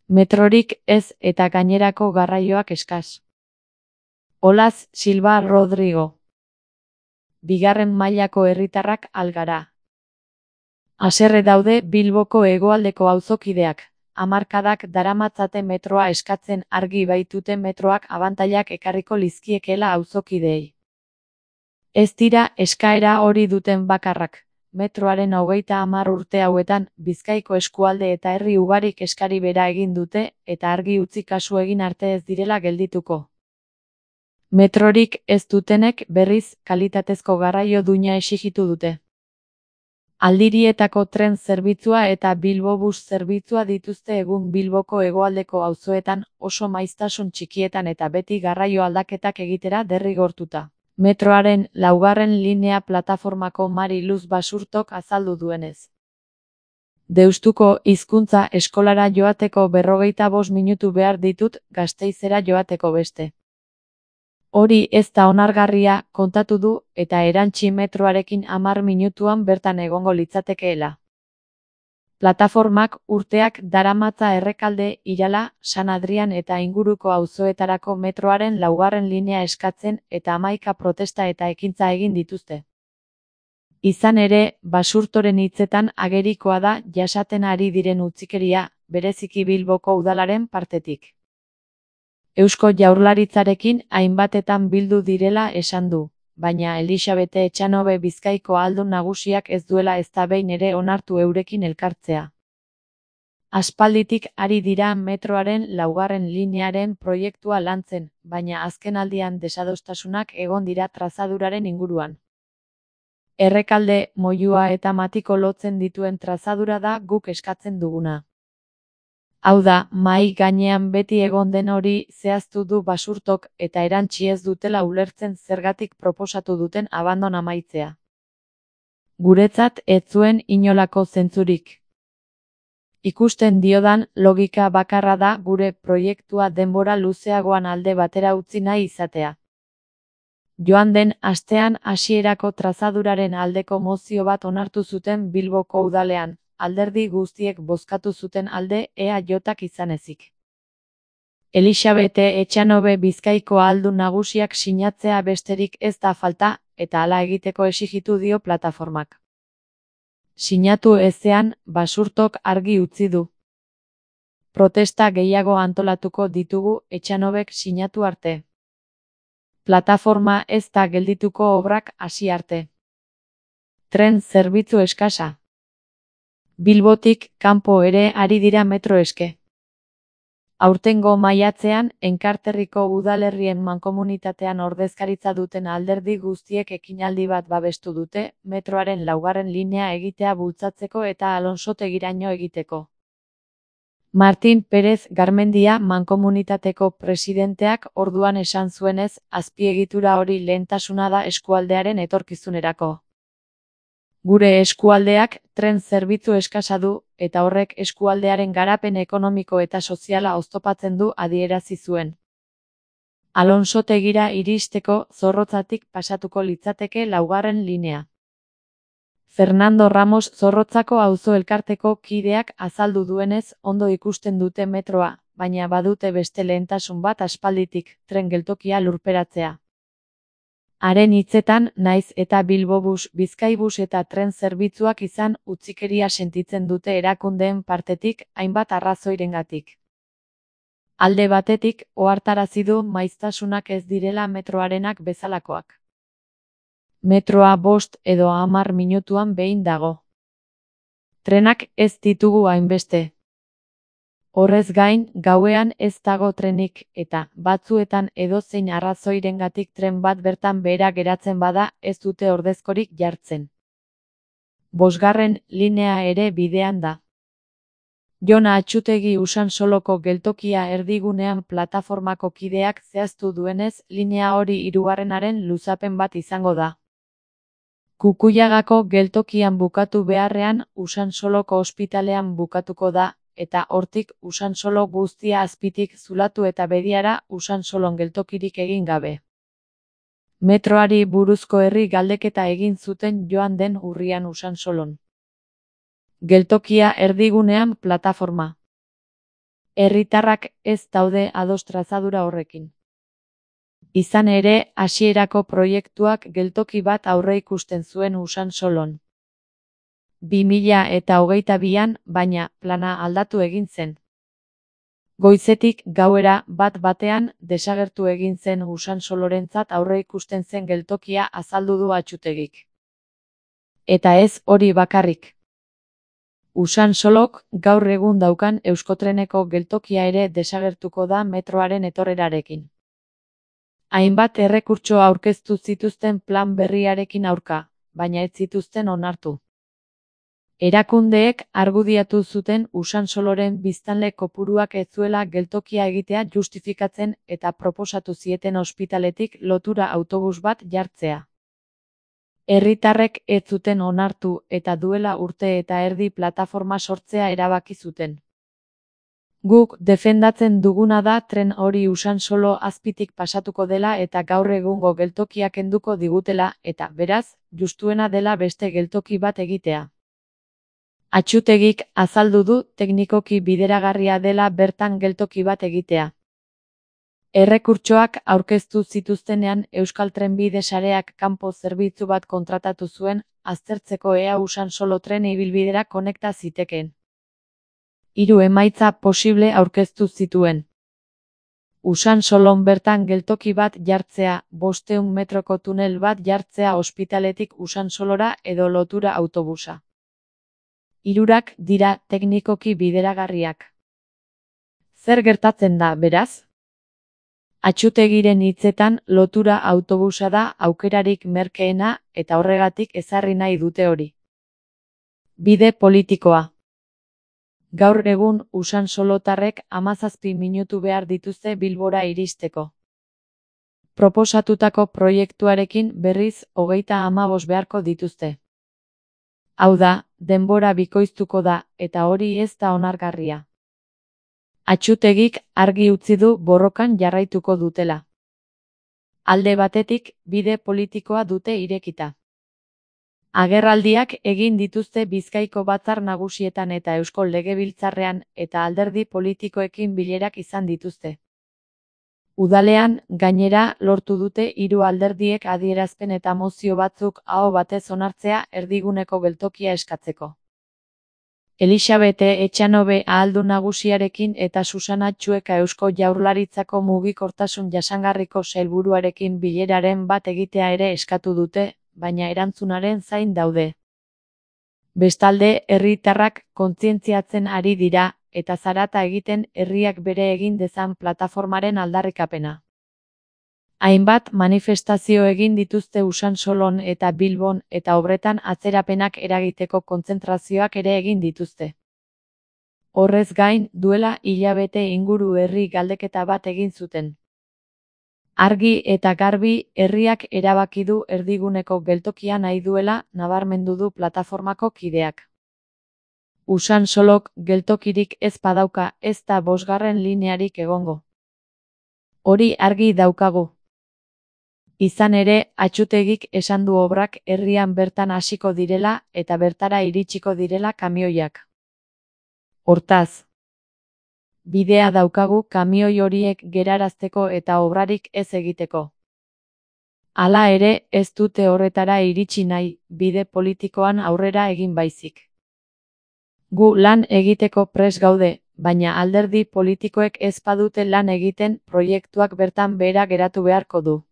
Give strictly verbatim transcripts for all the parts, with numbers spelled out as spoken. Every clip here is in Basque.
Metrorik ez eta gainerako garraioak eskas. Olaz Silva Rodrigo. Bigarren mailako herritarrak algara. Haserre daude Bilboko hegoaldeko auzokideak. Hamarkadak daramatzate metroa eskatzen argi baitute metroak abantailak ekarriko lizkiekeela auzokideei. Ez dira eskaera hori duten bakarrak. Metroaren hogeita hamar urte hauetan, Bizkaiko eskualde eta herri ugarik eskari bera egin dute eta argi utzi kasu egin arte ez direla geldituko. Metrorik ez dutenek berriz kalitatezko garraio duina exigitu dute. Aldirietako tren zerbitzua eta Bilbobus zerbitzua dituzte egun Bilboko hegoaldeko auzoetan oso maiztasun txikietan eta beti garraio aldaketak egitera derrigortuta. Metroaren laugarren linea plataformako Mari Luz Basurtok azaldu duenez. Deustuko hizkuntza eskolara joateko berrogeita bost minutu behar ditut Gasteizera joateko beste. Hori ez da onargarria kontatu du eta erantsi metroarekin hamar minutuan bertan egongo litzatekeela. Plataformak urteak daramatza Errekalde, Irala, San Adrian eta inguruko auzoetarako metroaren laugarren linea eskatzen eta hamaika protesta eta ekintza egin dituzte. Izan ere, Basurtoren hitzetan agerikoa da jasaten ari diren utzikeria, bereziki Bilboko udalaren partetik. Eusko Jaurlaritzarekin hainbatetan bildu direla esan du, baina Elixabete Etxanobe Bizkaiko ahaldun nagusiak ez duela ezta behin ere onartu eurekin elkartzea. Aspalditik ari dira metroaren laugarren linearen proiektua lantzen, baina azkenaldian desadostasunak egon dira trazaduraren inguruan. Errekalde, Moyua eta Matiko lotzen dituen trazadura da guk eskatzen duguna. Hau da, mahai gainean beti egon den hori zehaztu du Basurtok eta erantsi ez dutela ulertzen zergatik proposatu duten abandon amaitzea. Guretzat ez zuen inolako zentzurik. Ikusten diodan logika bakarra da gure proiektua denbora luzeagoan alde batera utzi nahi izatea. Joan den astean hasierako trazaduraren aldeko mozio bat onartu zuten Bilboko udalean, alderdi guztiek bozkatu zuten alde E A Jak izan ezik. Elixabete Etxanobe Bizkaiko ahaldun nagusiak sinatzea besterik ez da falta, eta hala egiteko exigitu dio plataformak. Sinatu ezean, Basurtok argi utzi du. Protesta gehiago antolatuko ditugu Etxanobek sinatu arte. Plataforma ez da geldituko obrak hasi arte. Tren zerbitzu eskasa. Bilbotik kanpo ere ari dira metro eske. Aurtengo maiatzean, Enkarterriko udalerrien mankomunitatean ordezkaritza duten alderdi guztiek ekinaldi bat babestu dute, metroaren laugarren linea egitea bultzatzeko eta Alonsotegiraino egiteko. Martin Pérez Garmendia mankomunitateko presidenteak orduan esan zuenez, azpiegitura hori lehentasuna da eskualdearen etorkizunerako. Gure eskualdeak tren zerbitzu eskasa du, eta horrek eskualdearen garapen ekonomiko eta soziala oztopatzen du adierazi zuen. Alonsotegira iristeko Zorrotzatik pasatuko litzateke laugarren linea. Fernando Ramos Zorrotzako auzo elkarteko kideak azaldu duenez ondo ikusten dute metroa, baina badute beste lehentasun bat aspalditik, tren geltokia lurperatzea. Haren hitzetan, naiz eta Bilbobus, Bizkaibus eta tren zerbitzuak izan utzikeria sentitzen dute erakundeen partetik hainbat arrazoirengatik. Alde batetik, ohartarazi du maiztasunak ez direla metroarenak bezalakoak. Metroa bost edo hamar minutuan behin dago. Trenak ez ditugu hainbeste. Horrez gain, gauean ez dago trenik, eta, batzuetan edozein arrazoirengatik tren bat bertan behera geratzen bada ez dute ordezkorik jartzen. Bosgarren linea ere bidean da. Jon Atxutegi Usansoloko geltokia erdigunean plataformako kideak zehaztu duenez, linea hori hirugarrenaren luzapen bat izango da. Kukuyagako geltokian bukatu beharrean, Usansoloko ospitalean bukatuko da, eta hortik Usansolo guztia azpitik zulatu eta bediara Usansolon geltokirik egin gabe. Metroari buruzko herri galdeketa egin zuten joan den urrian Usansolon. Geltokia erdigunean plataforma. Herritarrak ez daude ados trazadura horrekin. Izan ere, hasierako proiektuak geltoki bat aurreikusten zuen Usansolon. bi mila eta hogeita bian, baina, plana aldatu egin zen. Goizetik gauera bat batean desagertu egin zen Usansolorentzat aurreikusten zen geltokia azaldu du Atxutegik. Eta ez hori bakarrik. Usansolok gaur egun daukan Euskotreneko geltokia ere desagertuko da metroaren etorrerarekin. Hainbat errekurtso aurkeztu zituzten plan berriarekin aurka, baina ez zituzten onartu. Erakundeek argudiatu zuten Usansoloren biztanle kopuruak ez zuela geltokia egitea justifikatzen eta proposatu zieten ospitaletik lotura autobus bat jartzea. Herritarrek ez zuten onartu eta duela urte eta erdi plataforma sortzea erabaki zuten. Guk defendatzen duguna da tren hori Usansolo azpitik pasatuko dela eta gaur egungo geltokia kenduko digutela eta, beraz, justuena dela beste geltoki bat egitea. Atxutegik azaldu du teknikoki bideragarria dela bertan geltoki bat egitea. Errekurtsoak aurkeztu zituztenean Euskal Trenbide Sareak kanpo zerbitzu bat kontratatu zuen, aztertzeko ea Usansolo tren ibilbidera konekta zitekeen. Hiru emaitza posible aurkeztu zituen. Usansolon bertan geltoki bat jartzea, bostehun metroko tunel bat jartzea ospitaletik Usansolora edo lotura autobusa. Hirurak dira teknikoki bideragarriak. Zer gertatzen da, beraz? Atxutegiren hitzetan lotura autobusa da aukerarik merkeena eta horregatik ezarri nahi dute hori. Bide politikoa. Gaur egun Usansolotarrek hamazazpi minutu behar dituzte Bilbora iristeko. Proposatutako proiektuarekin berriz hogeita hamabost beharko dituzte. Hau da, denbora bikoiztuko da, eta hori ez da onargarria. Atxutegik argi utzi du borrokan jarraituko dutela. Alde batetik, bide politikoa dute irekita. Agerraldiak egin dituzte Bizkaiko batzar nagusietan eta Eusko Legebiltzarrean eta alderdi politikoekin bilerak izan dituzte. Udalean, gainera, lortu dute hiru alderdiek adierazpen eta mozio batzuk aho batez onartzea erdiguneko geltokia eskatzeko. Elisabete Etxanobe ahaldun nagusiarekin eta Susana Txueka Eusko Jaurlaritzako mugikortasun jasangarriko sailburuarekin bileraren bat egitea ere eskatu dute, baina erantzunaren zain daude. Bestalde, herritarrak kontzientziatzen ari dira, eta zarata egiten herriak bere egin dezan plataformaren aldarrikapena. Hainbat manifestazio egin dituzte Usansolon eta Bilbon eta obretan atzerapenak eragiteko kontzentrazioak ere egin dituzte. Horrez gain, duela hilabete inguru herri galdeketa bat egin zuten. Argi eta garbi herriak erabaki du erdiguneko geltokia nahi duela nabarmendu du plataformako kideak. Usansolok geltokirik ez badauka ez da bosgarren linearik egongo. Hori argi daukagu. Izan ere, Atxutegik esan du obrak herrian bertan hasiko direla eta bertara iritsiko direla kamioiak. Hortaz, bidea daukagu kamioi horiek gerarazteko eta obrarik ez egiteko. Hala ere, ez dute horretara iritsi nahi, bide politikoan aurrera egin baizik. Gu lan egiteko prest gaude, baina alderdi politikoek ez badute lan egiten proiektuak bertan behera geratu beharko du.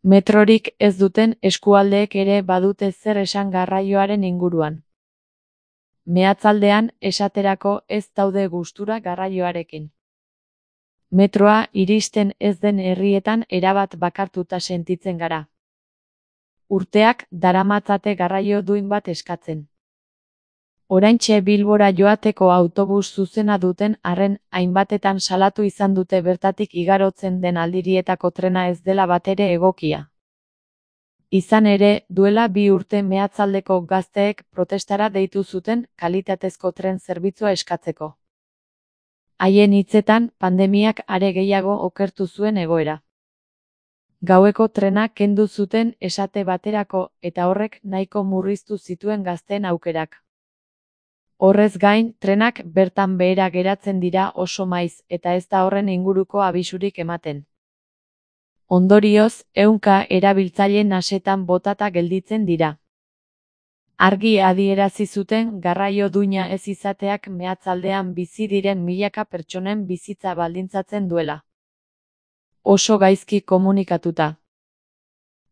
Metrorik ez duten eskualdeek ere badute zer esan garraioaren inguruan. Meatzaldean, esaterako ez daude gustura garraioarekin. Metroa iristen ez den herrietan erabat bakartuta sentitzen gara. Urteak daramatzate garraio duin bat eskatzen. Oraintxe Bilbora joateko autobus zuzena duten arren hainbatetan salatu izan dute bertatik igarotzen den aldirietako trena ez dela batere egokia. Izan ere, duela bi urte meatzaldeko gazteek protestara deitu zuten kalitatezko tren zerbitzua eskatzeko. Haien hitzetan, pandemiak are gehiago okertu zuen egoera. Gaueko trena kendu zuten esate baterako eta horrek nahiko murriztu zituen gazteen aukerak. Horrez gain, trenak bertan behera geratzen dira oso maiz eta ez da horren inguruko abisurik ematen. Ondorioz, ehunka erabiltzaile nasetan botata gelditzen dira. Argi adierazi zuten garraio duina ez izateak meatzaldean bizi diren milaka pertsonen bizitza baldintzatzen duela. Oso gaizki komunikatuta.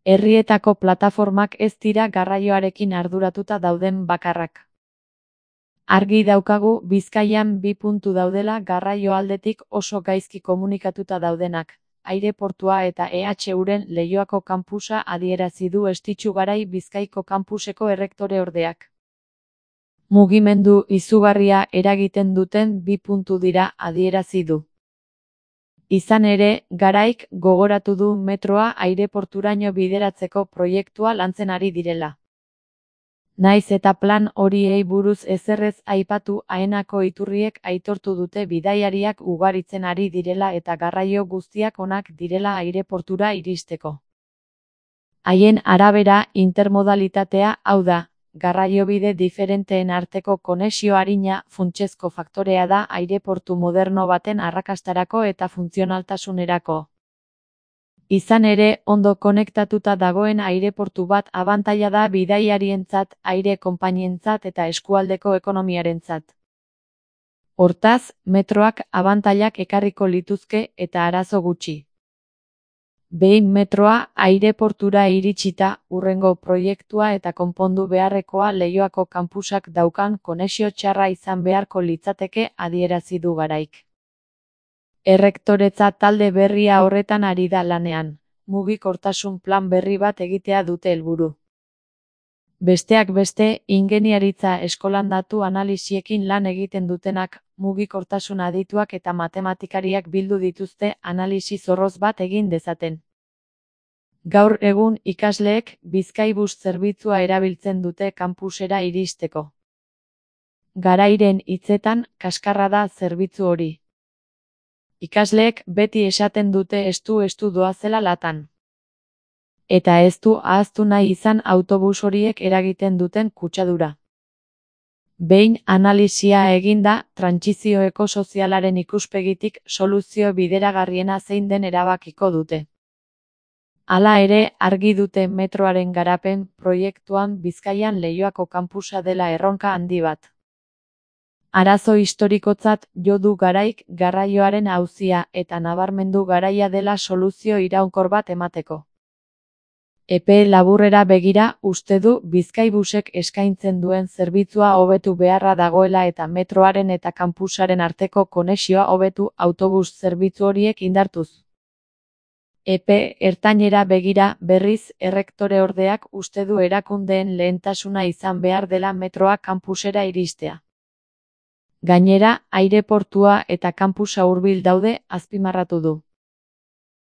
Herrietako plataformak ez dira garraioarekin arduratuta dauden bakarrak. Argi daukagu Bizkaian bi puntu daudela garraio aldetik oso gaizki komunikatuta daudenak. Aireportua eta E H Uren Leioako kanpusa adierazi du Estitxu Garai Bizkaiko kampuseko errektoreordeak. Mugimendu izugarria eragiten duten bi puntu dira adierazi du. Izan ere, Garaik gogoratu du metroa aireporturaino bideratzeko proiektua lantzen ari direla. Naiz eta plan horiei buruz ezerrez aipatu, Aenako iturriek aitortu dute bidaiariak ugaritzen ari direla eta garraio guztiak onak direla aireportura iristeko. Haien arabera, intermodalitatea, hau da, garraiobide diferenteen arteko konexio arina, funtsezko faktorea da aireportu moderno baten arrakastarako eta funtzionaltasunerako. Izan ere, ondo konektatuta dagoen aireportu bat abantaila da bidaiarientzat, aire konpainientzat eta eskualdeko ekonomiarentzat. Hortaz, metroak abantailak ekarriko lituzke eta arazo gutxi. Behin metroa aireportura iritsita, hurrengo proiektua eta konpondu beharrekoa Leioako kanpusak daukan konexio txarra izan beharko litzateke adierazi du Garaik. Errektoretza talde berria horretan ari da lanean, mugikortasun plan berri bat egitea dute helburu. Besteak beste, ingeniaritza eskolan datu analisiekin lan egiten dutenak, mugikortasun adituak eta matematikariak bildu dituzte analisi zorroz bat egin dezaten. Gaur egun ikasleek Bizkaibus zerbitzua erabiltzen dute kanpusera iristeko. Garairen hitzetan, kaskarra da zerbitzu hori. Ikasleek beti esaten dute estu-estu doazela latan. Eta ez du ahaztu nahi izan autobus horiek eragiten duten kutsadura. Behin analisia eginda, trantsizio ekosozialaren ikuspegitik soluzio bideragarriena zein den erabakiko dute. Hala ere, argi dute metroaren garapen proiektuan Bizkaian Leioako kanpusa dela erronka handi bat. Arazo historikotzat jo du Garaik garraioaren auzia eta nabarmendu garaia dela soluzio iraunkor bat emateko. Epe laburrera begira, uste du Bizkaibusek eskaintzen duen zerbitzua hobetu beharra dagoela eta metroaren eta kanpusaren arteko konexioa hobetu autobus zerbitzu horiek indartuz. Epe ertainera begira, berriz, errektoreordeak uste du erakundeen lehentasuna izan behar dela metroa kanpusera iristea. Gainera, aireportua eta kanpusa hurbil daude, azpimarratu du.